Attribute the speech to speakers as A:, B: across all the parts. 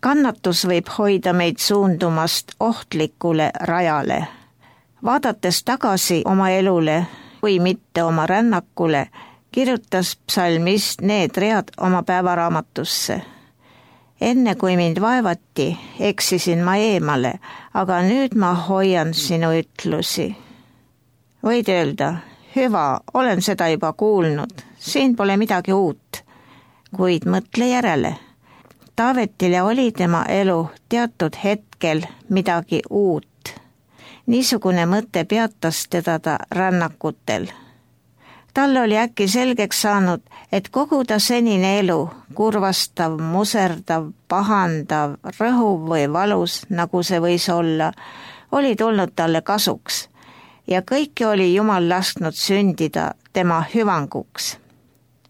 A: Kannatus võib hoida meid suundumast ohtlikule rajale. Vaadates tagasi oma elule või mitte oma rännakule, kirjutas psalmist need read oma päevaraamatusse. Enne kui mind vaevati, eksisin ma eemale, aga nüüd ma hoian sinu ütlusi. Võid öelda, hüva, olen seda juba kuulnud, siin pole midagi uut, kuid mõtle järele. Taavetile oli tema elu teatud hetkel midagi uut. Niisugune mõte peatas teda rännakutel. Talle oli äkki selgeks saanud, et kogu ta senine elu, kurvastav, muserdav, pahandav, rõhuv või valus, nagu see võis olla, oli tulnud talle kasuks ja kõike oli Jumal lasknud sündida tema hüvanguks.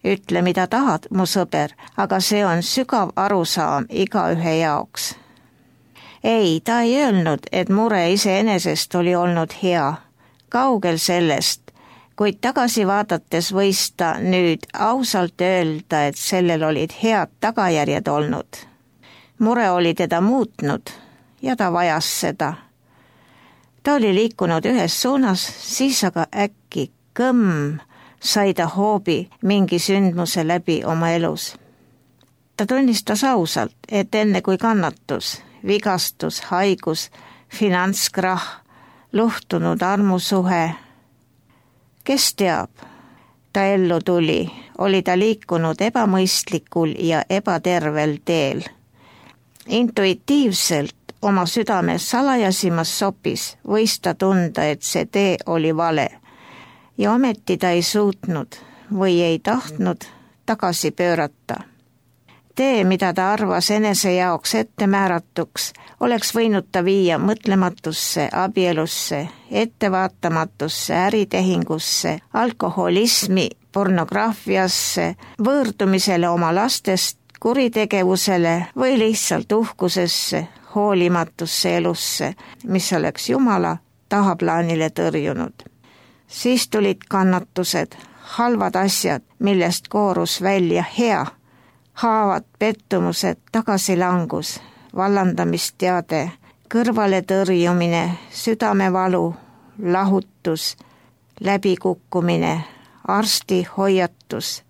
A: Ütle, mida tahad, mu sõber, aga see on sügav arusaam igaühe jaoks. Ei, ta ei öelnud, et mure iseenesest oli olnud hea, kaugel sellest, kuid tagasi vaadates võis ta nüüd ausalt öelda, et sellel olid head tagajärjed olnud. Mure oli teda muutnud ja ta vajas seda. Ta oli liikunud ühes suunas, siis aga äkki sai ta hoobi mingi sündmuse läbi oma elus. Ta tunnistas ausalt, et enne kui kannatus, vigastus, haigus, finantskrahh, luhtunud armusuhe. Kes teab, ta ellu tuli, oli ta liikunud ebamõistlikul ja ebatervel teel. Intuitiivselt oma südame salajasimas sopis võis ta tunda, et see tee oli vale ja ometi ta ei suutnud või ei tahtnud tagasi pöörata. Tee, mida ta arvas enese jaoks ettemääratuks, oleks võinud ta viia mõtlematusse, abielusse, ettevaatamatusse, äritehingusse, alkoholismi, pornograafiasse, võõrdumisele oma lastest, kuritegevusele või lihtsalt uhkusesse, hoolimatusse elusse, mis oleks Jumala tahaplaanile tõrjunud. Siis tulid kannatused, halvad asjad, millest koorus välja hea, haavad, pettumused, tagasilangus, vallandamisteade, kõrvale tõrjumine, südamevalu, lahutus, läbikukkumine, arsti hoiatus,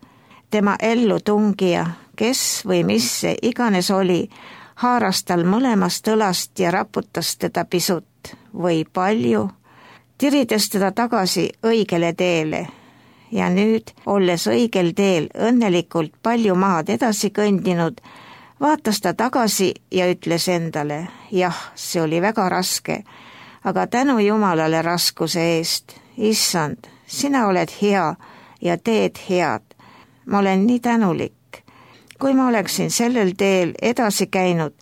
A: tema ellu tungija, kes või mis see iganes oli, haaras tal mõlemast õlast ja raputas teda pisut või palju, tirides teda tagasi õigele teele. Ja nüüd, olles õigel teel õnnelikult palju maad edasi kõndinud, vaatas ta tagasi ja ütles endale, jah, see oli väga raske, aga tänu Jumalale raskuse eest, issand, sina oled hea ja teed head. Ma olen nii tänulik. Kui ma oleksin sellel teel edasi käinud,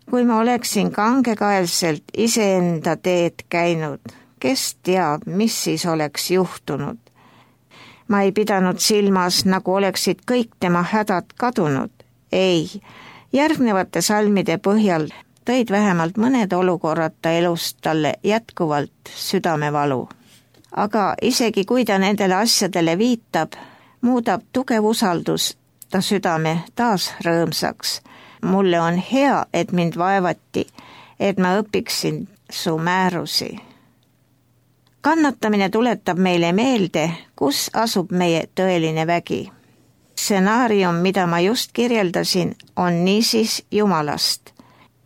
A: kui ma oleksin kangekaelselt iseenda teed käinud, kes teab, mis siis oleks juhtunud. Ma ei pidanud silmas, nagu oleksid kõik tema hädad kadunud. Ei, järgnevate salmide põhjal tõid vähemalt mõned olukorrad ta elust talle jätkuvalt südamevalu. Aga isegi kui ta nendele asjadele viitab, muudab tugev usaldus ta südame taas rõõmsaks. Mulle on hea, et mind vaevati, et ma õpiksin su määrusi. Kannatamine tuletab meile meelde, kus asub meie tõeline vägi. Stsenaarium, mida ma just kirjeldasin, on niisiis Jumalast.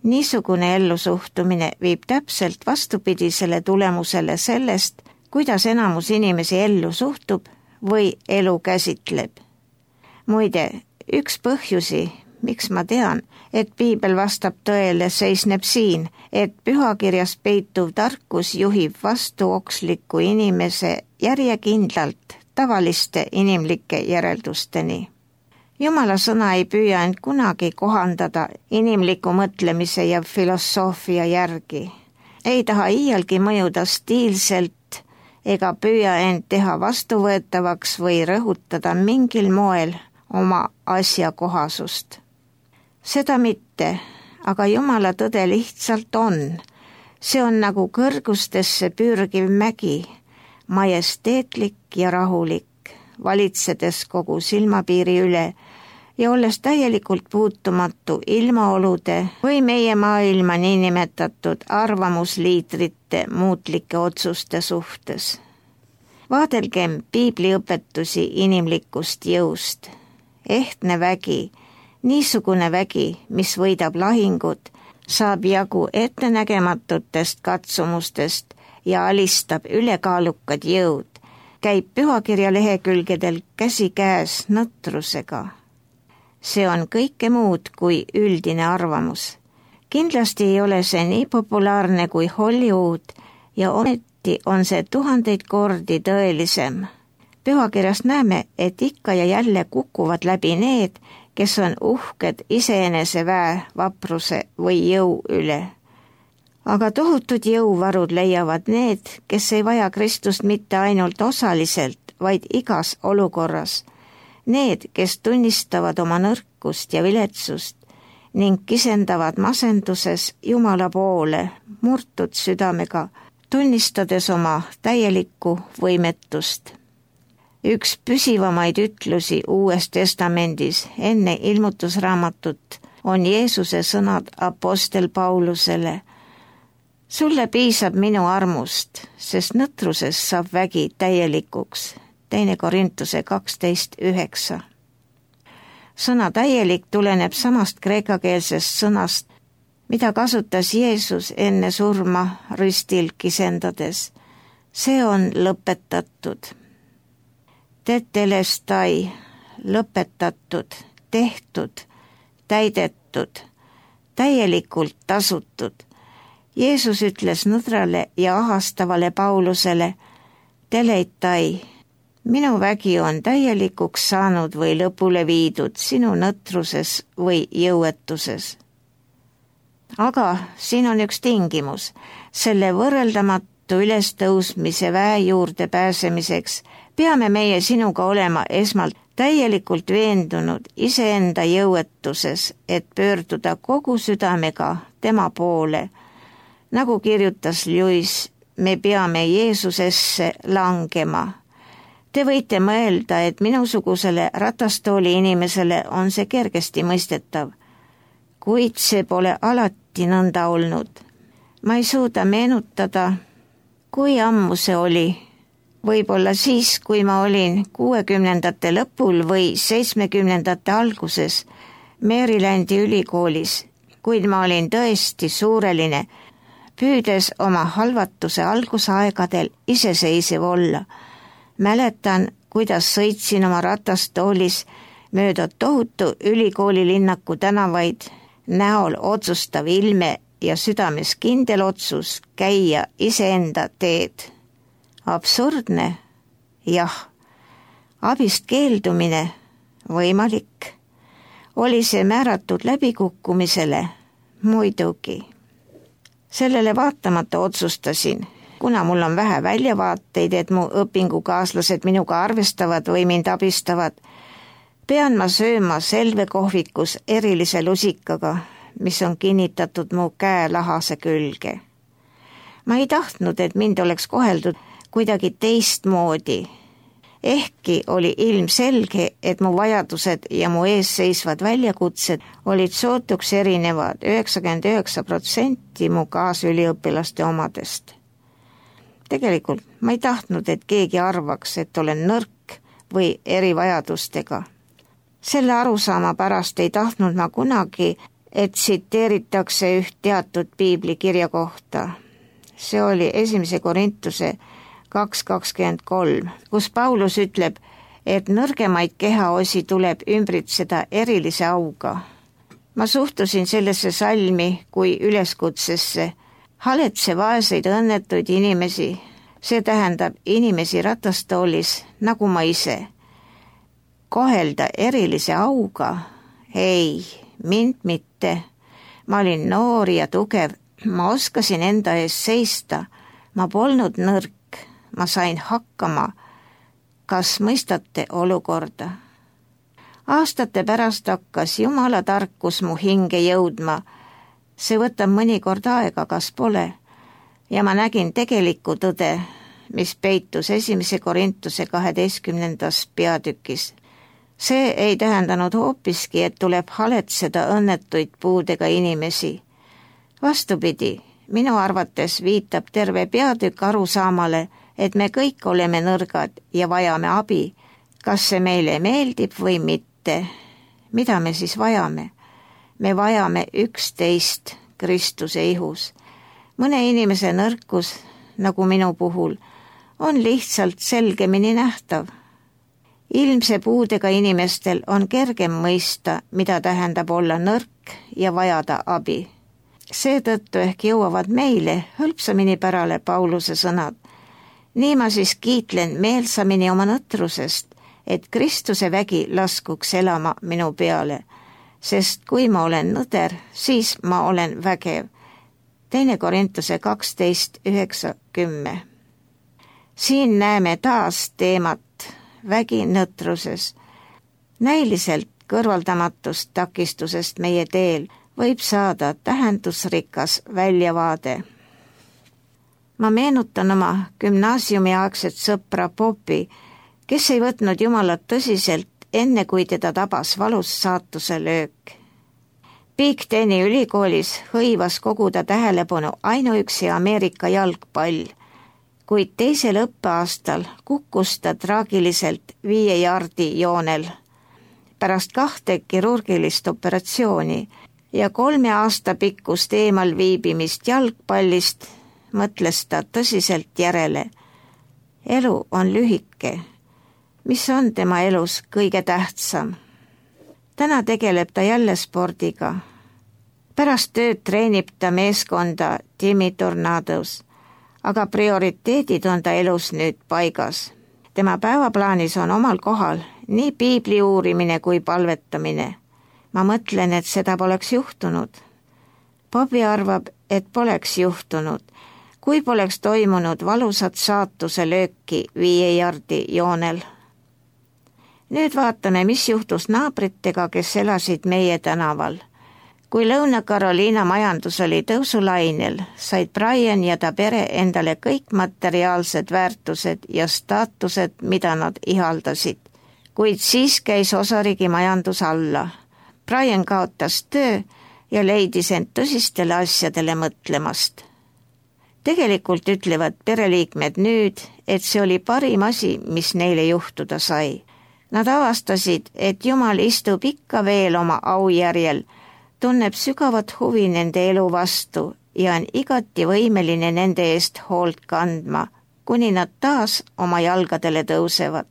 A: Niisugune ellusuhtumine viib täpselt vastupidisele tulemusele sellest, kuidas enamus inimesi ellu suhtub või elu käsitleb. Muide, üks põhjusi, miks ma tean, et piibel vastab tõele, seisneb siin, et pühakirjas peituv tarkus juhib vastuoksliku inimese järjekindlalt tavaliste inimlike järeldusteni. Jumala sõna ei püüa end kunagi kohandada inimliku mõtlemise ja filosoofia järgi. Ei taha iialgi mõjuda stiilselt ega püüa end teha vastuvõetavaks või rõhutada mingil moel oma asjakohasust. Seda mitte, aga Jumala tõde lihtsalt on. See on nagu kõrgustesse pürgiv mägi, majesteetlik ja rahulik, valitsedes kogu silmapiiri üle, ja olles täielikult puutumatu ilmaolude või meie maailma niinimetatud arvamusliidrite muutlike otsuste suhtes. Vaadelgem piibliõpetusi inimlikust jõust. Ehtne vägi, niisugune vägi, mis võidab lahingud, saab jagu ettenägematutest katsumustest ja alistab ülekaalukad jõud, käib pühakirja lehekülgedel käsikäes nõtrusega. See on kõike muud kui üldine arvamus. Kindlasti ei ole see nii populaarne kui Hollywood ja ometi on see 1000 kordi tõelisem. Pühakirjast näeme, et ikka ja jälle kukuvad läbi need, kes on uhked iseenese väe, vapruse või jõu üle. Aga tohutud jõuvarud leiavad need, kes ei vaja Kristust mitte ainult osaliselt, vaid igas olukorras. Need, kes tunnistavad oma nõrkust ja viletsust ning kisendavad masenduses Jumala poole murtud südamega, tunnistades oma täielikku võimetust. Üks püsivamaid ütlusi Uues Testamendis enne ilmutusraamatut on Jeesuse sõnad apostel Paulusele. Sulle piisab minu armust, sest nõtruses saab vägi täielikuks. 2 Korintuse 12:9. Sõna täielik tuleneb samast kreekakeelsest sõnast, mida kasutas Jeesus enne surma ristil kisendades. See on lõpetatud. Tetelestai, lõpetatud, tehtud, täidetud, täielikult tasutud. Jeesus ütles nõdrale ja ahastavale Paulusele, teleitai, minu vägi on täielikuks saanud või lõpule viidud sinu nõtruses või jõuetuses. Aga siin on üks tingimus. Selle võrreldamatu ülestõusmise väe juurde pääsemiseks peame meie sinuga olema esmalt täielikult veendunud iseenda jõuetuses, et pöörduda kogu südamega tema poole. Nagu kirjutas Lewis, me peame Jeesusesse langema. Te võite mõelda, et minusugusele ratastooli inimesele on see kergesti mõistetav, kuid see pole alati nõnda olnud. Ma ei suuda meenutada, kui ammu see oli. Võib-olla siis, kui ma olin 60ndate lõpul või 70ndate alguses Marylandi ülikoolis, kuid ma olin tõesti suureline, püüdes oma halvatuse algusaegadel iseseisev olla. Mäletan, kuidas sõitsin oma ratastoolis mööda tohutu ülikoolilinnaku tänavaid, näol otsustav ilme ja südames kindel otsus käia iseenda teed. Absurdne? Jah. Abist keeldumine? Võimalik. Oli see määratud läbikukkumisele? Muidugi. Sellele vaatamata otsustasin, kuna mul on vähe väljavaateid, et mu õpingukaaslased minuga arvestavad või mind abistavad, pean ma sööma selvekohvikus erilise lusikaga, mis on kinnitatud mu käelahase külge. Ma ei tahtnud, et mind oleks koheldud kuidagi teistmoodi. Ehkki oli ilmselge, et mu vajadused ja mu ees seisvad väljakutsed olid sootuks erinevad 99% mu kaasüliõpilaste omadest. Tegelikult ma ei tahtnud, et keegi arvaks, et olen nõrk või erivajadustega. Selle arusaama pärast ei tahtnud ma kunagi, et tsiteeritakse üht teatud piiblikirja kohta. See oli 1 Korintuse 2:23, kus Paulus ütleb, et nõrgemaid kehaosi tuleb ümbritseda erilise auga. Ma suhtusin sellesse salmi kui üleskutsesse, haletse vaeseid õnnetuid inimesi, see tähendab inimesi ratastoolis nagu ma ise. Kohelda erilise auga? Ei, mind mitte. Ma olin noor ja tugev, ma oskasin enda ees seista, ma polnud nõrk, ma sain hakkama. Kas mõistate olukorda? Aastate pärast hakkas Jumala tarkus mu hinge jõudma. See võtab mõnikord aega, kas pole? Ja ma nägin tegelikku tõde, mis peitus 1 Korintuse 12. peatükis. See ei tähendanud hoopiski, et tuleb haletseda õnnetuid puudega inimesi. Vastupidi, minu arvates viitab terve peatükk arusaamale, et me kõik oleme nõrgad ja vajame abi, kas see meile meeldib või mitte. Mida me siis vajame? Me vajame üksteist Kristuse ihus. Mõne inimese nõrkus, nagu minu puhul, on lihtsalt selgemini nähtav. Ilmse puudega inimestel on kergem mõista, mida tähendab olla nõrk ja vajada abi. Seetõttu ehk jõuavad meile hõlpsamini pärale Pauluse sõnad. Nii ma siis kiitlen meelsamini oma nõtrusest, et Kristuse vägi laskuks elama minu peale, sest kui ma olen nõder, siis ma olen vägev. 2 Korintuse 12:9-10. Siin näeme taas teemat vägi nõtruses. Näiliselt kõrvaldamatust takistusest meie teel võib saada tähendusrikas väljavaade. Ma meenutan oma gümnaasiumiaegset sõpra Popi, kes ei võtnud Jumalat tõsiselt, enne kui teda tabas valus saatuse löök. Big Teni ülikoolis hõivas kogu ta tähelepanu ainuüksi Ameerika jalgpall, kuid teisel õppeaastal kukkus ta traagiliselt 5 jaardi joonel. Pärast 2 kirurgilist operatsiooni ja 3 aasta pikkust eemal viibimist jalgpallist mõtles ta tõsiselt järele. Elu on lühike. Mis on tema elus kõige tähtsam? Täna tegeleb ta jälle spordiga. Pärast tööd treenib ta meeskonda Timmy Tornados, aga prioriteedid on ta elus nüüd paigas. Tema päevaplaanis on omal kohal nii piibli uurimine kui palvetamine. Ma mõtlen, et seda poleks juhtunud. Bobby arvab, et poleks juhtunud, kui poleks toimunud valusat saatuse lööki 5 jaardi joonel. Nüüd vaatame, mis juhtus naabritega, kes elasid meie tänaval. Kui Lõuna-Carolina majandus oli tõusulainel, said Brian ja ta pere endale kõik materiaalsed väärtused ja staatused, mida nad ihaldasid. Kuid siis käis osariigi majandus alla. Brian kaotas töö ja leidis end tõsistele asjadele mõtlemast. Tegelikult ütlevad pereliikmed nüüd, et see oli parim asi, mis neile juhtuda sai. Nad avastasid, et Jumal istub ikka veel oma aujärjel, tunneb sügavat huvi nende elu vastu ja on igati võimeline nende eest hoolt kandma, kuni nad taas oma jalgadele tõusevad.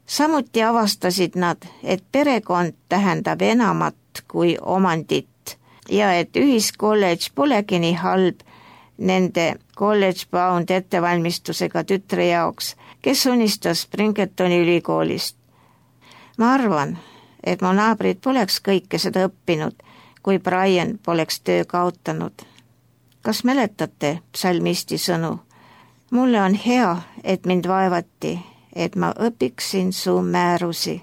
A: Samuti avastasid nad, et perekond tähendab enamat kui omandit ja et ühiskolledž polegi nii halb nende kolledž-bound ettevalmistusega tütre jaoks, kes unistas Pringetoni ülikoolist. Ma arvan, et mu naabrid poleks kõike seda õppinud, kui Brian poleks töö kaotanud. Kas mäletate psalmisti sõnu? Mulle on hea, et mind vaevati, et ma õpiksin su määrusi.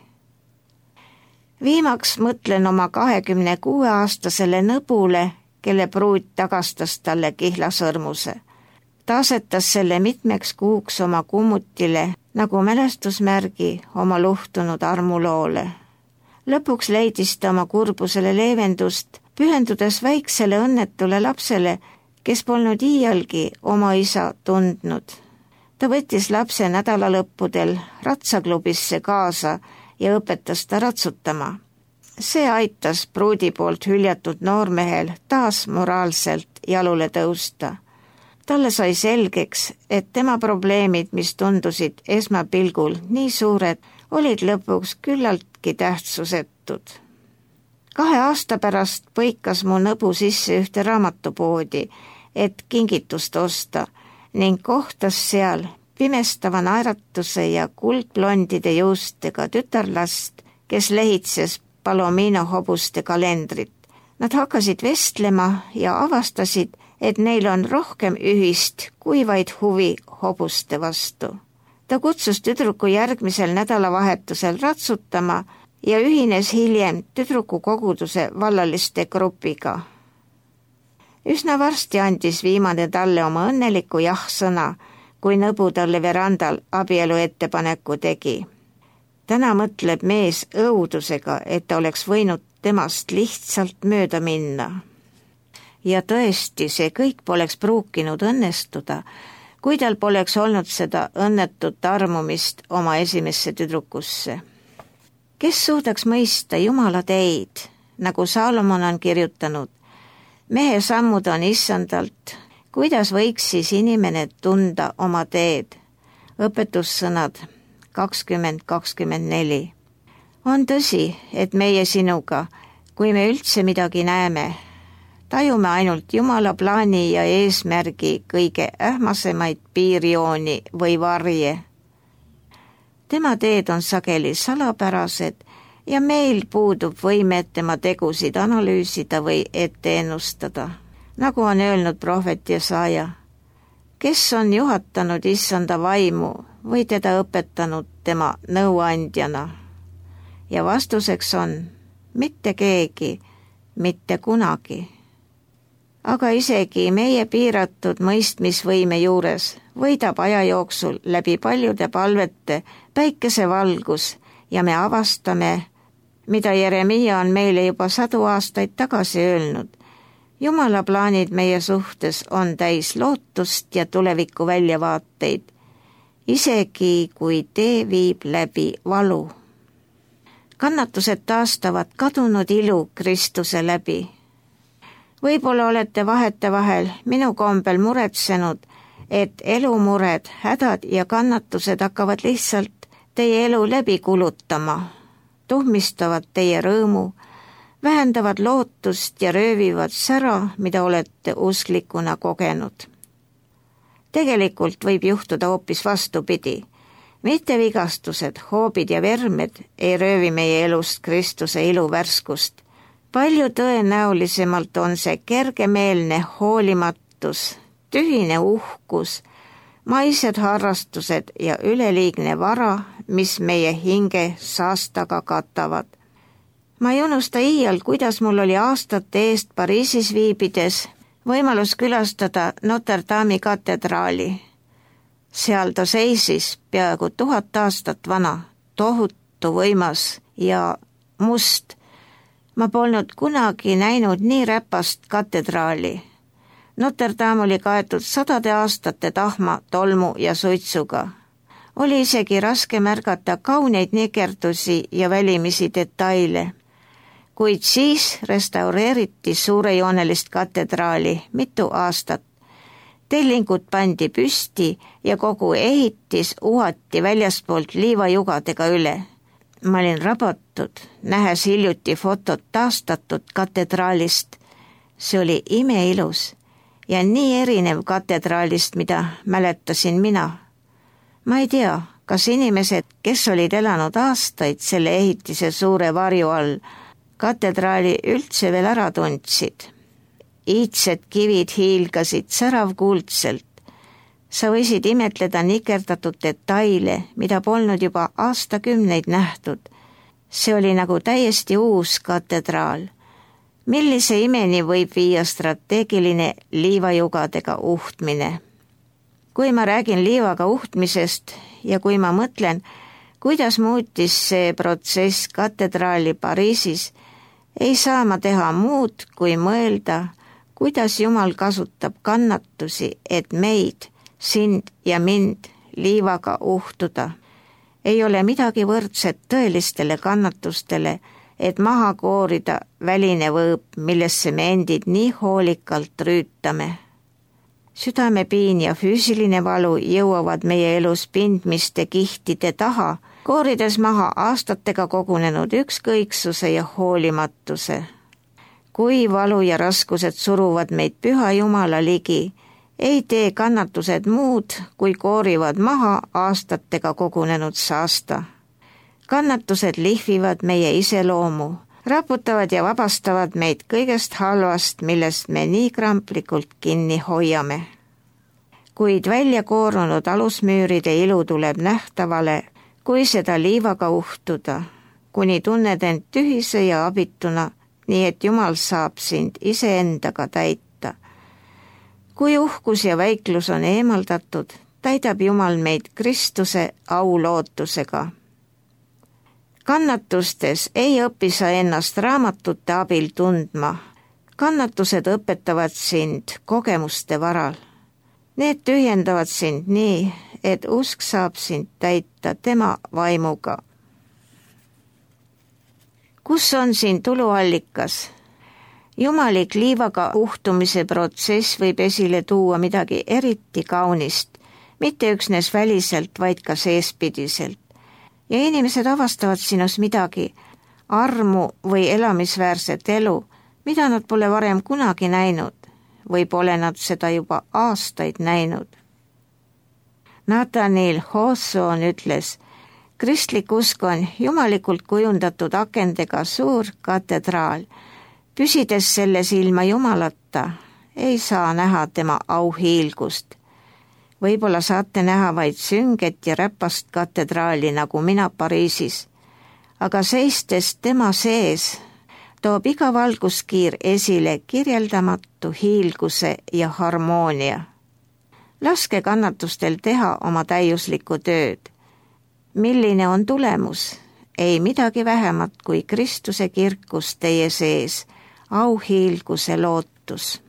A: Viimaks mõtlen oma 26-aastasele nõbule, kelle pruut tagastas talle kihlasõrmuse. Ta asetas selle mitmeks kuuks oma kummutile nagu mälestusmärgi oma luhtunud armuloole. Lõpuks leidis ta oma kurbusele leevendust, pühendudes väiksele õnnetule lapsele, kes polnud iialgi oma isa tundnud. Ta võttis lapse nädalalõppudel ratsaklubisse kaasa ja õpetas ta ratsutama. See aitas pruudi poolt hüljatud noormehel taas moraalselt jalule tõusta. Talle sai selgeks, et tema probleemid, mis tundusid esmapilgul nii suured, olid lõpuks küllaltki tähtsusetud. 2 aasta pärast põikas mu nõbu sisse ühte raamatupoodi, et kingitust osta ning kohtas seal pimestava naeratuse ja kuldblondide juustega tütarlast, kes lehitses Palomino hobuste kalendrit. Nad hakkasid vestlema ja avastasid, et neil on rohkem ühist kui vaid huvi hobuste vastu. Ta kutsus tüdruku järgmisel nädalavahetusel ratsutama ja ühines hiljem tüdruku koguduse vallaliste grupiga. Üsna varsti andis viimane talle oma õnneliku jah-sõna, kui nõbu talle verandal abielu ettepaneku tegi. täna mõtleb mees õudusega, et ta oleks võinud temast lihtsalt mööda minna. Ja tõesti, see kõik poleks pruukinud õnnestuda, kui tal poleks olnud seda õnnetut armumist oma esimesse tüdrukusse. Kes suudaks mõista Jumala teid, nagu Saalomon on kirjutanud? Mehe sammud on issandalt, kuidas võiks siis inimene tunda oma teed? Õpetussõnad 20:24. On tõsi, et meie sinuga, kui me üldse midagi näeme, tajume ainult Jumala plaani ja eesmärgi kõige ähmasemaid piirjooni või varje. Tema teed on sageli salapärased ja meil puudub võime tema tegusid analüüsida või ette ennustada, nagu on öelnud prohvet Jesaja. Kes on juhatanud issanda vaimu või teda õpetanud tema nõuandjana? Ja vastuseks on mitte keegi, mitte kunagi. Aga isegi meie piiratud mõistmisvõime juures võidab aja jooksul läbi paljude palvete päikesevalgus ja me avastame, mida Jeremiia on meile juba 100 aastaid tagasi öelnud. Jumala plaanid meie suhtes on täis lootust ja tuleviku väljavaateid, isegi kui tee viib läbi valu. Kannatused taastavad kadunud ilu Kristuse läbi. Võib-olla olete vahetevahel minu kombel muretsenud, et elumured, hädad ja kannatused hakkavad lihtsalt teie elu läbi kulutama, tuhmistavad teie rõõmu, vähendavad lootust ja röövivad sära, mida olete usklikuna kogenud. Tegelikult võib juhtuda hoopis vastupidi. Mitte vigastused, hoobid ja vermed ei röövi meie elust Kristuse iluvärskust. Palju tõenäolisemalt on see kergemeelne hoolimatus, tühine uhkus, maised harrastused ja üleliigne vara, mis meie hinge saastaga katavad. Ma ei unusta iial, kuidas mul oli aastate eest Pariisis viibides võimalus külastada Notre Dame'i katedraali. Seal ta seisis peaaegu 1000 aastat vana, tohutu võimas ja must. Ma polnud kunagi näinud nii räpast katedraali. Notre Dame oli kaetud 100 aastate tahma, tolmu ja suitsuga. Oli isegi raske märgata kauneid nikerdusi ja välimisi detaile. Kuid siis restaureeriti suurejoonelist katedraali mitu aastat. Tellingud pandi püsti ja kogu ehitis uhati väljaspoolt liivajugadega üle. Ma olin rabatud, nähes hiljuti fotot taastatud katedraalist. See oli imeilus ja nii erinev katedraalist, mida mäletasin mina. Ma ei tea, kas inimesed, kes olid elanud aastaid selle ehitise suure varju all, katedraali üldse veel ära tundsid. Iidsed kivid hiilgasid säravkuldselt. Sa võisid imetleda nikerdatud detaile, mida polnud juba aastakümneid nähtud. See oli nagu täiesti uus katedraal. Millise imeni võib viia strateegiline liivajugadega uhtmine? Kui ma räägin liivaga uhtmisest ja kui ma mõtlen, kuidas muutis see protsess katedraali Pariisis, ei saa ma teha muud, kui mõelda, kuidas Jumal kasutab kannatusi, et meid, sind ja mind liivaga uhtuda. Ei ole midagi võrdset tõelistele kannatustele, et maha koorida väline võõp, millesse me endid nii hoolikalt rüütame. Südamepiin ja füüsiline valu jõuavad meie elus pindmiste kihtide taha, koorides maha aastatega kogunenud ükskõiksuse ja hoolimatuse. Kui valu ja raskused suruvad meid Püha Jumala ligi, ei tee kannatused muud, kui koorivad maha aastatega kogunenud saasta. Kannatused lihvivad meie iseloomu, raputavad ja vabastavad meid kõigest halvast, millest me nii kramplikult kinni hoiame. Kuid välja koorunud alusmüüride ilu tuleb nähtavale, kui seda liivaga uhtuda, kuni tunned end tühise ja abituna, nii et Jumal saab sind iseendaga täita. Kui uhkus ja väiklus on eemaldatud, täidab Jumal meid Kristuse aulootusega. Kannatustes ei õpi sa ennast raamatute abil tundma. Kannatused õpetavad sind kogemuste varal. Need tühjendavad sind nii, et usk saab sind täita tema vaimuga. Kus on siin tuluallikas? Jumalik liivaga uhtumise protsess võib esile tuua midagi eriti kaunist, mitte üksnes väliselt, vaid ka seespidiselt. Ja inimesed avastavad sinus midagi, armu või elamisväärset elu, mida nad pole varem kunagi näinud või pole nad seda juba aastaid näinud. Nathaniel Hawthorne ütles, kristlik usk on jumalikult kujundatud akendega suur katedraal. Püsides selles ilma Jumalata, ei saa näha tema auhiilgust. Võib-olla saate näha vaid sünget ja räpast katedraali nagu mina Pariisis, aga seistes tema sees toob iga valguskiir esile kirjeldamatu hiilguse ja harmoonia. Laske kannatustel teha oma täiuslikku tööd. Milline on tulemus? Ei midagi vähemat kui Kristuse kirkus teie sees, auhiilguse lootus.